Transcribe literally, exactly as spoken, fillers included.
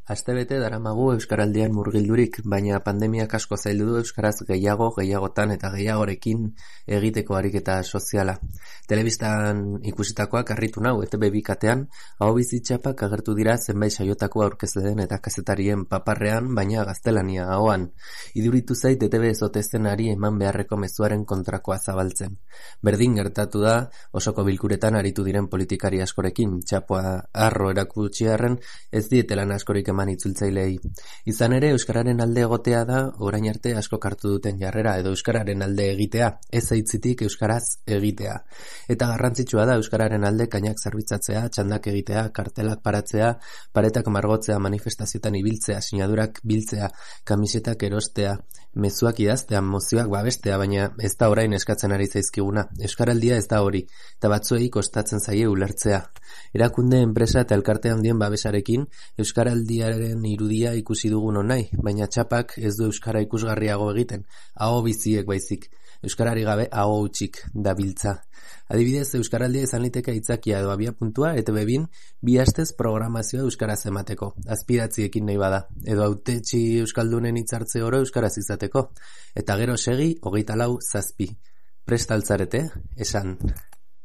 Astebete daramagu Euskaraldian murgildurik, baina pandemiak asko zaildu du euskaraz gehiago, gehiagotan eta gehiagorekin egiteko ariketa soziala. Telebistan ikusitakoak harritu nau, E Te Be bi katean, ahobizitxapak agertu dira zenbait saiotako aurkezleen eta kazetarien paparrean, baina gaztelania ahoan. Iduritu zait E Te Be ezote zenari eman beharreko mezuaren kontrakoa zabaltzen. Berdin gertatu da, osoko bilkuretan aritu diren politikari askorekin, txapoa arro erakutsi arren, ez dietelan askorik eman itzultzailei. Izan ere, euskararen alde egotea da, orain arte asko hartu duten jarrera, edo euskararen alde egitea, ez aitzitik euskaraz egitea. Eta garrantzitsua da euskararen alde kainak zerbitzatzea, txandak egitea, kartelak paratzea, paretak margotzea, manifestazioetan ibiltzea, sinadurak biltzea, kamisetak erostea, mezuak idaztea, mozioak babestea, baina ez da orain eskatzen ari zaizkiguna. Euskaraldia ez da hori, eta batzuei kostatzen zaie ulertzea. Erakunde, enpresa eta elkarte handien babesarekin euskaraldiaren irudia ikusi dugun onai, baina txapak ez du euskara ikusgarriago egiten, aho biziek baizik. Euskarari gabe aho utxik dabiltza. Adibidez, euskaraldia izan liteke aitzakia edo abiapuntua E Te Be bin bi astez programazioa euskaraz emateko, azpidatziekin nahi bada, edo hautetsi euskaldunen hitzartze oro euskaraz izateko, eta gero segi hogeita lau zazpi. Prest altzarete, esan.